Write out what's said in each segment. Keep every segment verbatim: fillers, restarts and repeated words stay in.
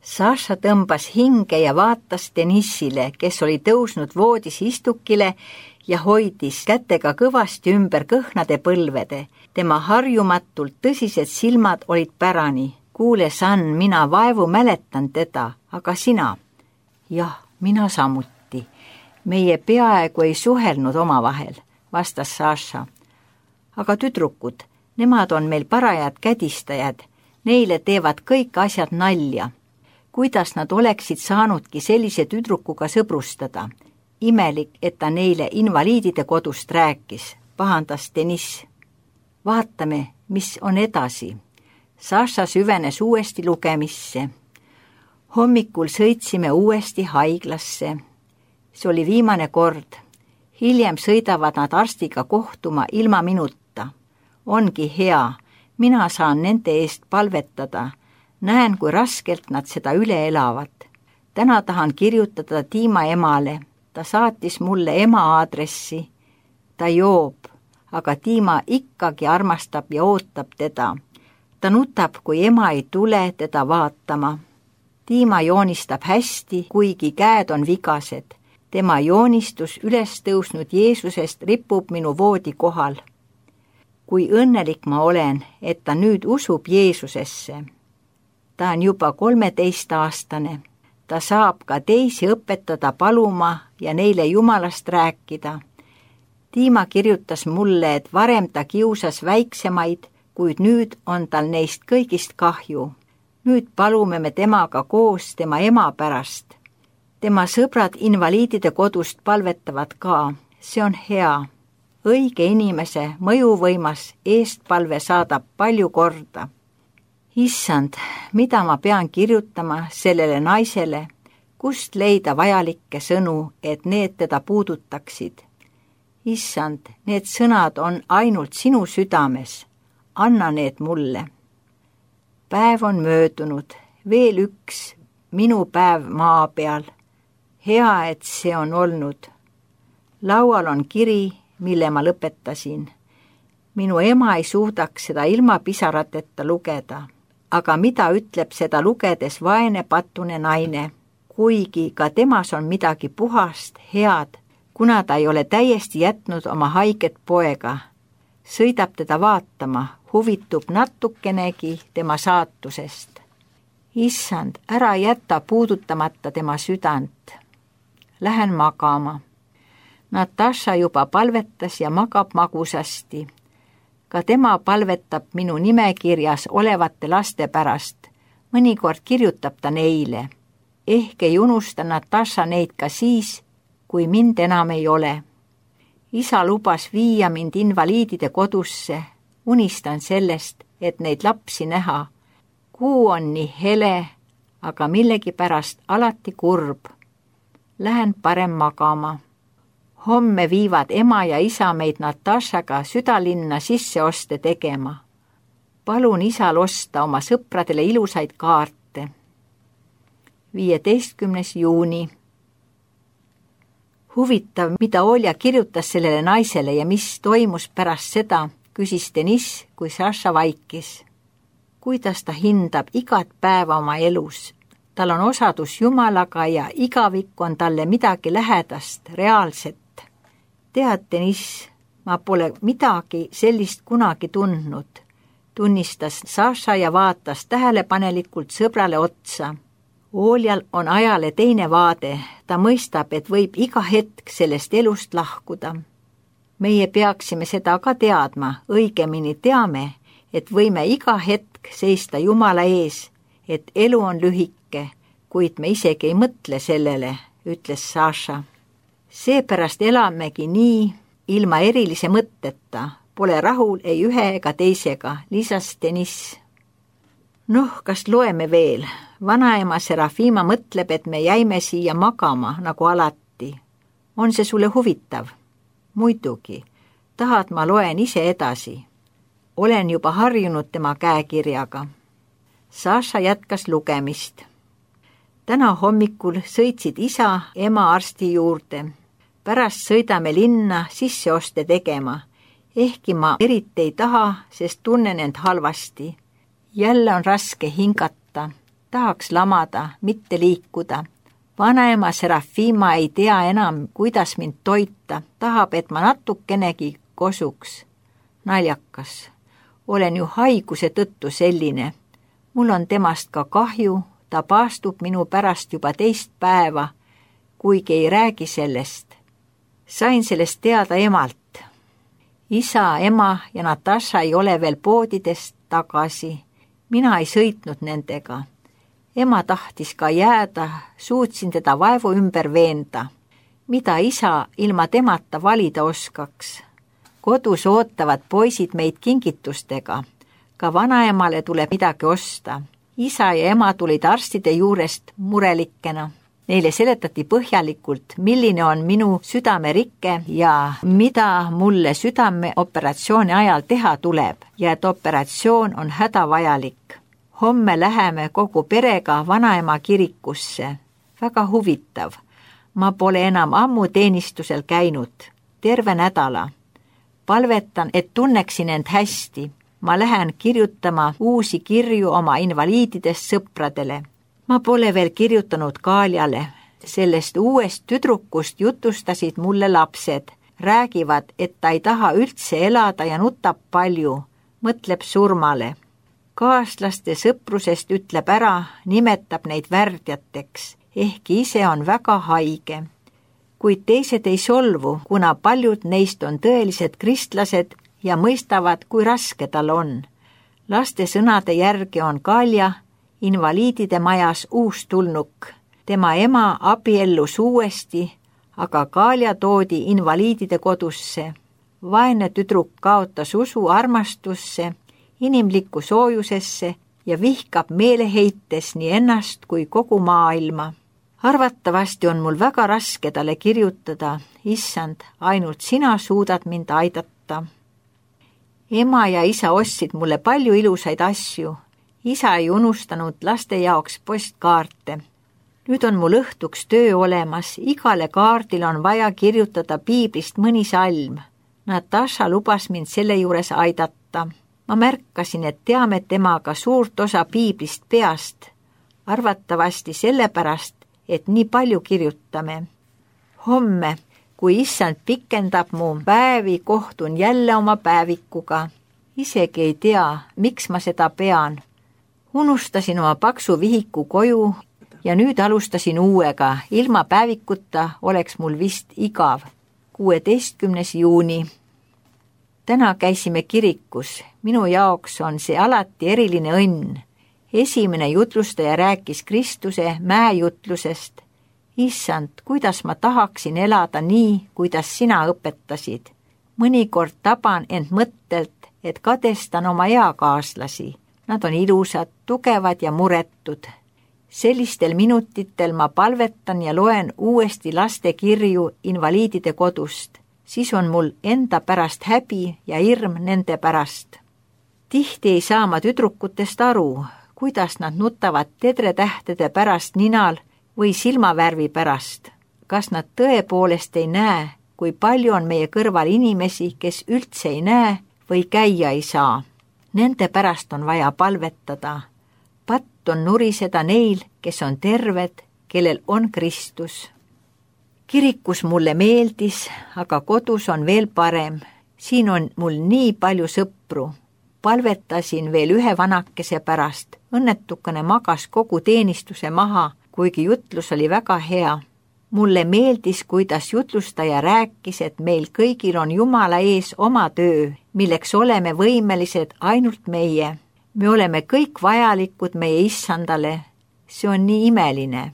Saša tõmbas hinge ja vaatas Denissile, kes oli tõusnud voodis istukile ja hoidis kätega kõvasti ümber kõhnade põlvede. Tema harjumatult tõsised silmad olid pärani. Kuule, San, mina vaevu mäletan teda, aga sina? Jah, mina samuti. Meie peaaegu ei suhelnud omavahel, vastas Saša. Aga tüdrukud, nemad on meil parajad kädistajad. Neile teevad kõik asjad nalja. Kuidas nad oleksid saanudki sellise tüdrukuga sõbrustada? Imelik, et ta neile invaliidide kodust rääkis, pahandas Deniss. Vaatame, mis on edasi. Saša süvenes uuesti lugemisse. Hommikul sõitsime uuesti haiglasse. See oli viimane kord. Hiljem sõidavad nad arstiga kohtuma ilma minuta. Ongi hea, mina saan nende eest palvetada. Näen, kui raskelt nad seda üle elavad. Täna tahan kirjutada Tiima emale. Ta saatis mulle ema aadressi. Ta joob, aga Tiima ikkagi armastab ja ootab teda. Ta nutab, kui ema ei tule teda vaatama. Tiima joonistab hästi, kuigi käed on vigased. Tema joonistus üles tõusnud Jeesusest ripub minu voodi kohal. Kui õnnelik ma olen, et ta nüüd usub Jeesusesse. Ta on juba kolmeteist aastane. Ta saab ka teisi õpetada paluma ja neile Jumalast rääkida. Tiima kirjutas mulle, et varem ta kiusas väiksemaid, kuid nüüd on tal neist kõigist kahju. Nüüd palume me temaga koos tema ema pärast. Tema sõbrad invaliidide kodust palvetavad ka. See on hea. Õige inimese mõjuvõimas eestpalve saadab palju korda. Issand, mida ma pean kirjutama sellele naisele, kust leida vajalikke sõnu, et need teda puudutaksid? Issand, need sõnad on ainult sinu südames. Anna need mulle. Päev on möödunud, veel üks minu päev maa peal. Hea, et see on olnud. Laual on kiri, mille ma lõpetasin. Minu ema ei suudaks seda ilma pisarateta lugeda. Aga mida ütleb seda lugedes vaene patune naine, kuigi ka temas on midagi puhast, head, kuna ta ei ole täiesti jätnud oma haiget poega. Sõidab teda vaatama, huvitub natukenegi tema saatusest. Issand, ära jätta puudutamata tema südant. Lähen magama. Natasha juba palvetas ja magab magusasti. Ka tema palvetab minu nimekirjas olevate laste pärast. Mõnikord kirjutab ta neile. Ehk ei unusta Natasha neid ka siis, kui mind enam ei ole. Isa lubas viia mind invaliidide kodusse. Unistan sellest, et neid lapsi näha. Kuu on nii hele, aga millegipärast alati kurb. Lähen parem magama. Homme viivad ema ja isa meid Natashaga südalinna sisseoste tegema. Palun isal osta oma sõpradele ilusaid kaarte. viieteistkümnes juuni. Huvitav, mida Olja kirjutas sellele naisele ja mis toimus pärast seda, küsis Deniss, kui Saša vaikis. Kuidas ta hindab igat päeva oma elus? Tal on osadus Jumalaga ja igavik on talle midagi lähedast, reaalset. Tead, Deniss, ma pole midagi sellist kunagi tundnud, tunnistas Saša ja vaatas tähelepanelikult sõbrale otsa. Oljal on ajale teine vaade, ta mõistab, et võib iga hetk sellest elust lahkuda. Meie peaksime seda ka teadma, õigemini teame, et võime iga hetk seista Jumala ees, et elu on lühike, kuid me isegi ei mõtle sellele, ütles Saša. Seepärast elamegi nii, ilma erilise mõtteta, pole rahul ei ühe ega teisega, lisas Deniss. Noh, kas loeme veel? Vanaema Serafima mõtleb, et me jäime siia magama, nagu alati. On see sulle huvitav? Muidugi. Tahad, ma loen ise edasi. Olen juba harjunud tema käekirjaga. Saša jätkas lugemist. Täna hommikul sõitsid isa ema arsti juurde. Pärast sõidame linna sisseoste tegema. Ehkki ma eriti ei taha, sest tunnen end halvasti. Jälle on raske hingata. tahaks lamada, mitte liikuda. Vanaema Serafima ei tea enam, kuidas mind toita, tahab, et ma natukenegi kosuks. Naljakas. Olen ju haiguse tõttu selline. Mul on temast ka kahju, ta paastub minu pärast juba teist päeva, kuigi ei räägi sellest. Sain sellest teada emalt. Isa, ema ja Natasha ei ole veel poodidest tagasi. Mina ei sõitnud nendega. Ema tahtis ka jääda, suutsin teda vaevu ümber veenda. Mida isa ilma temata valida oskaks? Kodus ootavad poisid meid kingitustega. Ka vanaemale tuleb midagi osta. Isa ja ema tulid arstide juurest murelikena. Neile seletati põhjalikult, milline on minu südamerikke ja mida mulle südameoperatsiooni ajal teha tuleb ja et operatsioon on hädavajalik. Homme läheme kogu perega vanaema kirikusse. Väga huvitav. Ma pole enam ammu teenistusel käinud. Terve nädala. Palvetan, et tunneksin end hästi. Ma lähen kirjutama uusi kirju oma invaliididest sõpradele. Ma pole veel kirjutanud Kaljale. Sellest uuest tüdrukust jutustasid mulle lapsed. Räägivad, et ta ei taha üldse elada ja nutab palju. Mõtleb surmale. Kaaslaste sõprusest ütleb ära, nimetab neid värdjateks, ehkki ise on väga haige. Kuid teised ei solvu, kuna paljud neist on tõelised kristlased ja mõistavad, kui raske tal on. Laste sõnade järgi on Kalja invaliidide majas uus tulnuk. Tema ema abiellus uuesti, aga Kalja toodi invaliidide kodusse. Vaene tüdruk kaotas usu armastusse, inimlikku soojusesse ja vihkab meeleheites nii ennast kui kogu maailma. Arvatavasti on mul väga raske talle kirjutada, issand, ainult sina suudad mind aidata. Ema ja isa ostsid mulle palju ilusaid asju. Isa ei unustanud laste jaoks postkaarte. Nüüd on mul õhtuks töö olemas, igale kaardil on vaja kirjutada piiblist mõni salm. Natasha lubas mind selle juures aidata. Ma märkasin, et teame temaga suurt osa piiblist peast. Arvatavasti sellepärast, et nii palju kirjutame. Homme, kui issand pikendab mu päevi, kohtun jälle oma päevikuga. Isegi ei tea, miks ma seda pean. Unustasin oma paksu vihiku koju ja nüüd alustasin uuega. Ilma päevikuta oleks mul vist igav. kuueteistkümnes juuni. Täna käisime kirikus. Minu jaoks on see alati eriline õnn. Esimene jutlustaja rääkis Kristuse mäejutlusest. Issand, kuidas ma tahaksin elada nii, kuidas sina õpetasid. Mõnikord taban end mõttelt, et kadestan oma eakaaslasi. Nad on ilusad, tugevad ja muretud. Sellistel minutitel ma palvetan ja loen uuesti laste kirju invaliidide kodust. Siis on mul enda pärast häbi ja hirm nende pärast. Tihti ei saa ma tüdrukutest aru, kuidas nad nutavad tedretähtede pärast ninal või silmavärvi pärast. Kas nad tõepoolest ei näe, kui palju on meie kõrval inimesi, kes üldse ei näe või käia ei saa. Nende pärast on vaja palvetada. Patt on nuriseda neil, kes on terved, kellel on Kristus. Kirikus mulle meeldis, aga kodus on veel parem. Siin on mul nii palju sõpru. Palvetasin veel ühe vanakese pärast. Õnnetukene magas kogu teenistuse maha, kuigi jutlus oli väga hea. Mulle meeldis, kuidas jutlustaja rääkis, et meil kõigil on Jumala ees oma töö, milleks oleme võimelised ainult meie. Me oleme kõik vajalikud meie issandale. See on nii imeline.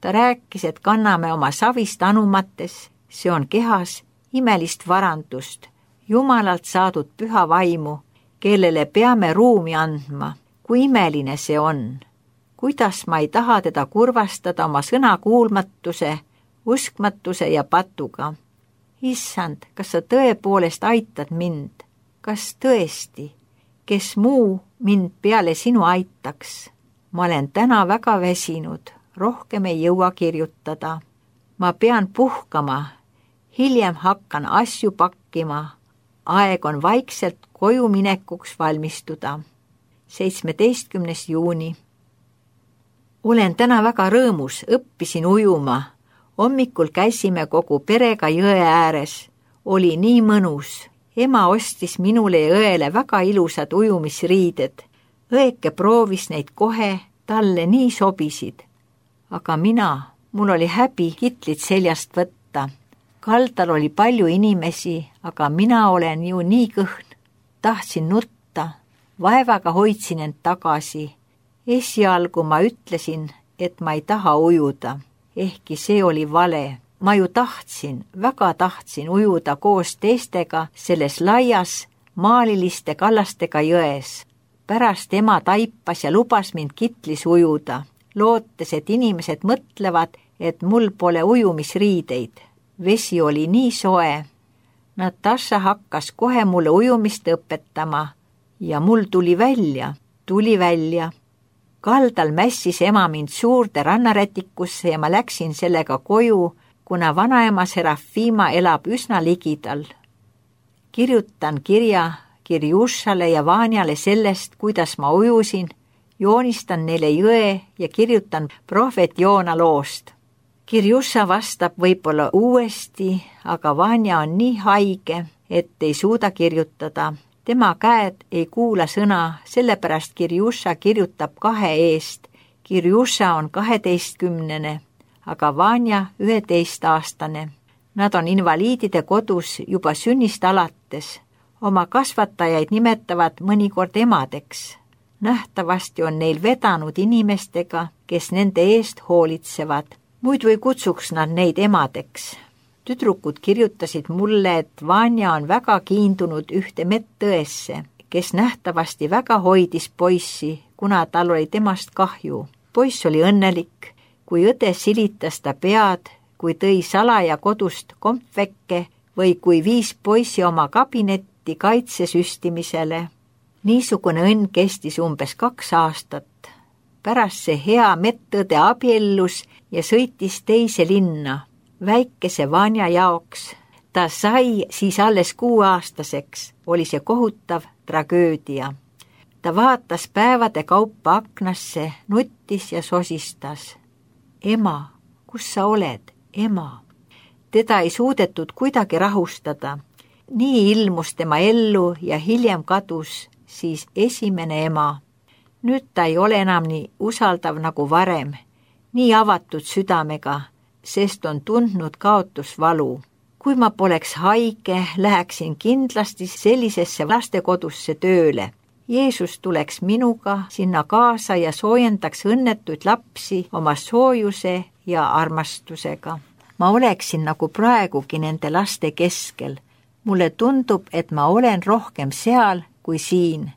Ta rääkis, et kanname oma savist anumates, see on kehas, imelist varandust, Jumalalt saadud püha vaimu, kellele peame ruumi andma. Kui imeline see on. Kuidas ma ei taha teda kurvastada oma sõnakuulmatuse, uskmatuse ja patuga. Issand, kas sa tõepoolest aitad mind? Kas tõesti? Kes muu mind peale sinu aitaks? Ma olen täna väga väsinud, rohkem ei jõua kirjutada. Ma pean puhkama, hiljem hakkan asju pakkima. Aeg on vaikselt koju minekuks valmistuda. seitsmeteistkümnes juuni. olen täna väga rõõmus, õppisin ujuma. Hommikul käisime kogu perega jõe ääres. Oli nii mõnus. Ema ostis minule ja õele väga ilusad ujumisriided. Õeke proovis neid kohe, talle nii sobisid. Aga mina, mul oli häbi kitlit seljast võtta. Kaldal oli palju inimesi, aga mina olen ju nii kõhn. Tahtsin nutta, vaevaga hoidsin end tagasi. Esialgu ma ütlesin, et ma ei taha ujuda, ehkki see oli vale. Ma ju tahtsin, väga tahtsin ujuda koos teistega selles laias maaliliste kallastega jões. Pärast ema taipas ja lubas mind kitlis ujuda, lootes, et inimesed mõtlevad, et mul pole ujumisriideid. Vesi oli nii soe. Natasha hakkas kohe mulle ujumist õpetama ja mul tuli välja, tuli välja. Kaldal mässis ema mind suurde rannarätikusse ja ma läksin sellega koju, kuna vanaema Serafima elab üsna ligidal. Kirjutan kirja Kirjušale ja Vanjale sellest, kuidas ma ujusin, joonistan neile jõe ja kirjutan prohvet Joona loost. Kirjuša vastab võib-olla uuesti, aga Vanja on nii haige, et ei suuda kirjutada. Tema käed ei kuula sõna, sellepärast Kirjuša kirjutab kahe eest. Kirjuša on kaheteistkümnene, aga Vanja üheteistaastane. Nad on invaliidide kodus juba sünnist alates. Oma kasvatajaid nimetavad mõnikord emadeks. Nähtavasti on neil vedanud inimestega, kes nende eest hoolitsevad. Muidu ei kutsuks nad neid emadeks. Tüdrukud kirjutasid mulle, et Vanja on väga kiindunud ühte medõesse, kes nähtavasti väga hoidis poissi, kuna tal oli temast kahju. Poiss oli õnnelik, kui õde silitas ta pead, kui tõi salaja kodust kompvekke või kui viis poissi oma kabinetti kaitsesüstimisele. Niisugune õnn kestis umbes kaks aastat. Pärast see hea medõde abiellus ja sõitis teise linna, väikese Vanja jaoks. Ta sai siis alles kuuaastaseks, oli see kohutav tragöödia. Ta vaatas päevade kaupa aknasse, nuttis ja sosistas. Ema, kus sa oled, ema? Teda ei suudetud kuidagi rahustada. Nii ilmus tema ellu ja hiljem kadus siis esimene ema. Nüüd ta ei ole enam nii usaldav nagu varem, nii avatud südamega, sest on tundnud kaotusvalu. Kui ma poleks haige, läheksin kindlasti sellisesse lastekodusse tööle. Jeesus tuleks minuga sinna kaasa ja soojendaks õnnetuid lapsi oma soojuse ja armastusega. Ma oleksin nagu praegugi nende laste keskel. Mulle tundub, et ma olen rohkem seal kui siin.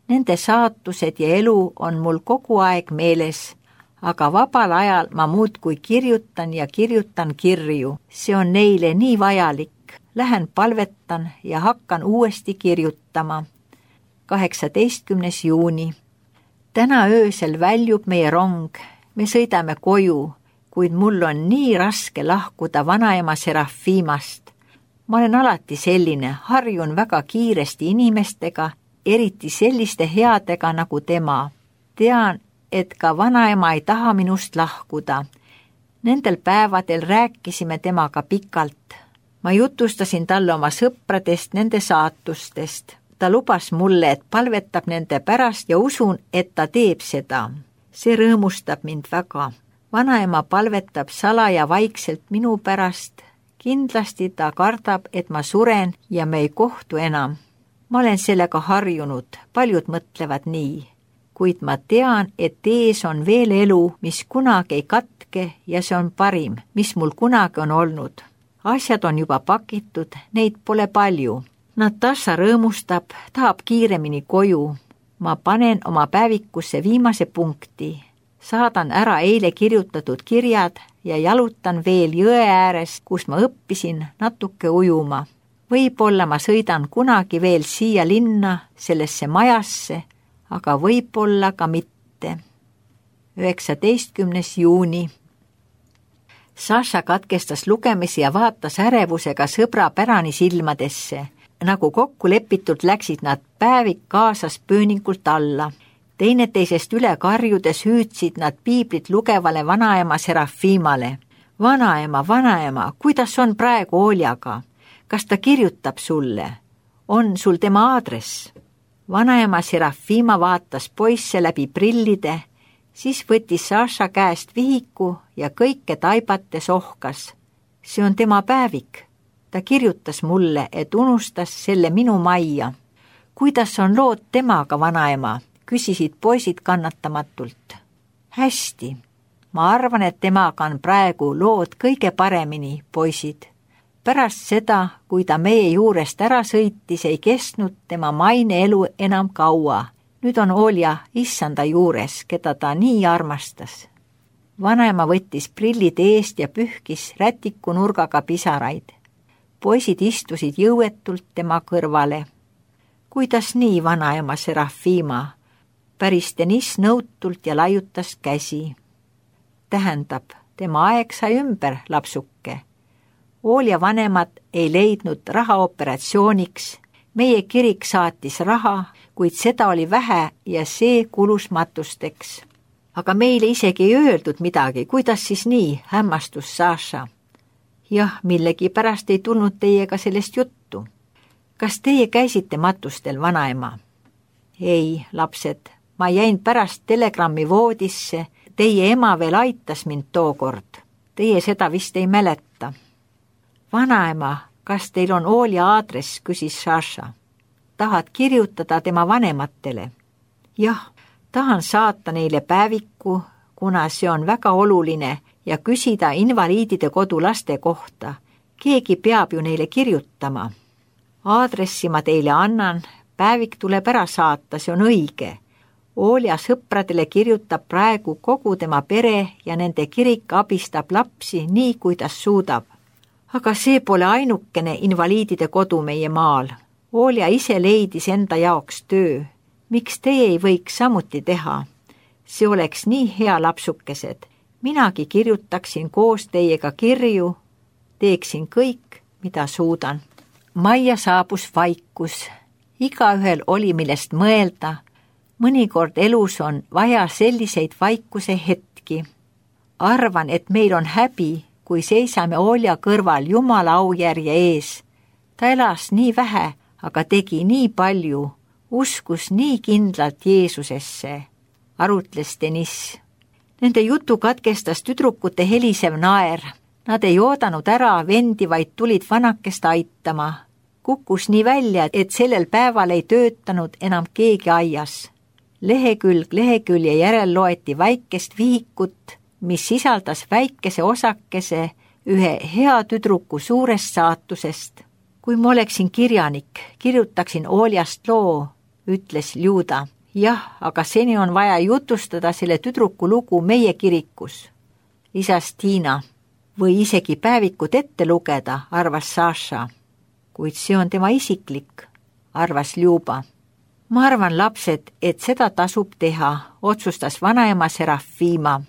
Nende saatused ja elu on mul kogu aeg meeles, aga vabal ajal ma muudkui kirjutan ja kirjutan kirju. See on neile nii vajalik. Lähen palvetan ja hakkan uuesti kirjutama. kaheksateistkümnes juuni. Täna öösel väljub meie rong. Me sõidame koju, kuid mul on nii raske lahkuda vanaema Serafimast. Ma olen alati selline, harjun väga kiiresti inimestega, eriti selliste headega nagu tema. Tean, et ka vanaema ei taha minust lahkuda. Nendel päevadel rääkisime temaga pikalt. Ma jutustasin talle oma sõpradest, nende saatustest. Ta lubas mulle, et palvetab nende pärast ja usun, et ta teeb seda. See rõõmustab mind väga. Vanaema palvetab salaja vaikselt minu pärast. Kindlasti ta kardab, et ma suren ja me ei kohtu enam. Ma olen sellega harjunud, paljud mõtlevad nii. Kuid ma tean, et ees on veel elu, mis kunagi ei katke ja see on parim, mis mul kunagi on olnud. Asjad on juba pakitud, neid pole palju. Natasha rõõmustab, tahab kiiremini koju. Ma panen oma päevikusse viimase punkti. Saadan ära eile kirjutatud kirjad ja jalutan veel jõe ääres, kus ma õppisin natuke ujuma. Võib-olla ma sõidan kunagi veel siia linna, sellesse majasse, aga võib-olla ka mitte. üheksateistkümnes juuni. Saša katkestas lugemisi ja vaatas ärevusega sõbra Pärani silmadesse. Nagu kokku lepitult läksid nad päevik kaasas pööningult alla. teineteisest üle karjudes hüüdsid nad piiblit lugevale vanaema Serafimale. Vanaema, vanaema, kuidas on praegu Oljaga? Kas ta kirjutab sulle? On sul tema aadress? Vanaema Serafima vaatas poisse läbi prillide, siis võttis Saša käest vihiku ja kõike taibates ohkas. See on tema päevik. Ta kirjutas mulle, et unustas selle minu majja. Kuidas on lood temaga, vanaema? Küsisid poisid kannatamatult. Hästi. Ma arvan, et temaga on praegu lood kõige paremini, poisid. Pärast seda, kui ta meie juurest ära sõitis, ei kestnud tema maine elu enam kaua. Nüüd on Olja issanda juures, keda ta nii armastas. Vanaema võttis prillid eest ja pühkis rätiku nurgaga pisaraid. Poisid istusid jõuetult tema kõrvale. Kuidas nii, vanaema Serafima? Päris Deniss nõutult ja laiutas käsi. Tähendab, tema aeg sai ümber, lapsuke. Olja vanemad ei leidnud raha operatsiooniks. Meie kirik saatis raha, kuid seda oli vähe ja see kulus matusteks. Aga meile isegi ei öeldud midagi, kuidas siis nii, hämmastus Saša. Jah, millegi pärast ei tulnud teiega sellest juttu. Kas teie käisite matustel, vanaema? Ei, lapsed, ma jäin pärast telegrammi voodisse. Teie ema veel aitas mind tookord. Teie seda vist ei mäleta. Vanaema, kas teil on Olja aadress, küsis Saša. Tahad kirjutada tema vanematele? Jah, tahan saata neile päeviku, kuna see on väga oluline ja küsida invaliidide kodu laste kohta. Keegi peab ju neile kirjutama. Aadressi ma teile annan, päevik tuleb ära saata, see on õige. Olja sõpradele kirjutab praegu kogu tema pere ja nende kirik abistab lapsi nii, kuidas suudab. Aga see pole ainukene invaliidide kodu meie maal. Olja ise leidis enda jaoks töö. Miks teie ei võiks samuti teha? See oleks nii hea, lapsukesed. Minagi kirjutaksin koos teiega kirju, teeksin kõik, mida suudan. Majja saabus vaikus. Igaühel oli millest mõelda. Mõnikord elus on vaja selliseid vaikuse hetki. Arvan, et meil on häbi, kui seisame Olja kõrval Jumala aujärje ees. Ta elas nii vähe, aga tegi nii palju, uskus nii kindlalt Jeesusesse, arutles Deniss. Nende jutu katkestas tüdrukute helisev naer. Nad ei oodanud ära vendi, vaid tulid vanakest aitama. Kukkus nii välja, et sellel päeval ei töötanud enam keegi aias. Lehekülg lehekülje järel loeti väikest vihikut, mis sisaldas väikese osakese ühe hea tüdruku suurest saatusest. Kui ma oleksin kirjanik, kirjutaksin Oljast loo, ütles Ljuda. Jah, aga seni on vaja jutustada selle tüdruku lugu meie kirikus, lisas Tiina. Või isegi päevikut ette lugeda, arvas Saša. Kuid see on tema isiklik, arvas Ljuba. Ma arvan, lapsed, et seda tasub teha, otsustas vanaema Serafima.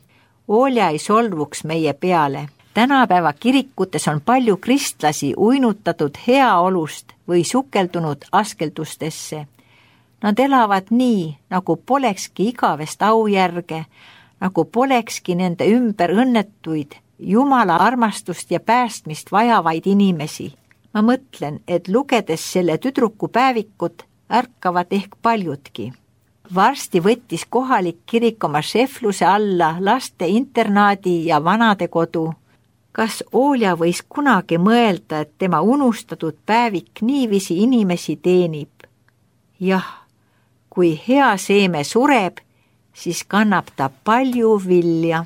Olja ei solvuks meie peale. Tänapäeva kirikutes on palju kristlasi uinutatud heaolust või sukeldunud askeldustesse. Nad elavad nii, nagu polekski igavest aujärge, nagu polekski nende ümber õnnetuid, Jumala armastust ja päästmist vajavaid inimesi. Ma mõtlen, et lugedes selle tüdruku päevikut, ärkavad ehk paljudki. Varsti võttis kohalik kirik oma šefluse alla laste internaadi ja vanade kodu. Kas Olja võis kunagi mõelda, et tema unustatud päevik niiviisi inimesi teenib? Jah, kui hea seeme sureb, siis kannab ta palju vilja.